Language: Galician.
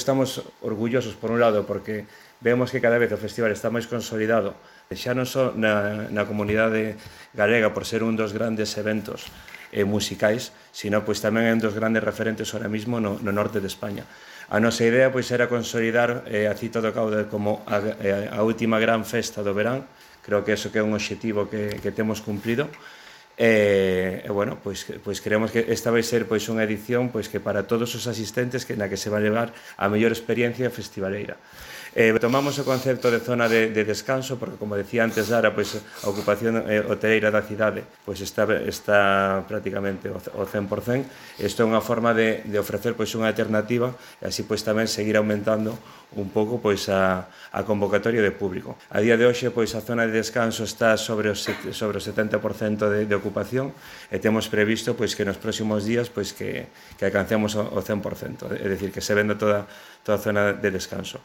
Estamos orgullosos, por un lado, porque vemos que cada vez o festival está máis consolidado, xa non só na comunidade galega por ser un dos grandes eventos musicais, sino pois tamén é un dos grandes referentes ahora mismo no norte de España. A nosa idea pois era consolidar a Cita do Cauda como a última gran festa do verán. Creo que eso que é un obxectivo que temos cumprido. Bueno, pois creemos que esta vai ser pois unha edición pois que para todos os asistentes na que se va a levar a mellor experiencia festivaleira. Tomamos o concepto de zona de descanso porque, como decía antes Lara, pois a ocupación hoteleira da cidade pois está prácticamente ao 100%. Isto é unha forma de ofrecer pois unha alternativa e así pois tamén seguir aumentando un pouco pois a convocatoria de público. A día de hoxe pois a zona de descanso está sobre o 70% de ocupación e temos previsto pois que nos próximos días pois que alcancemos o 100%, é dicir, que se venda toda a zona de descanso.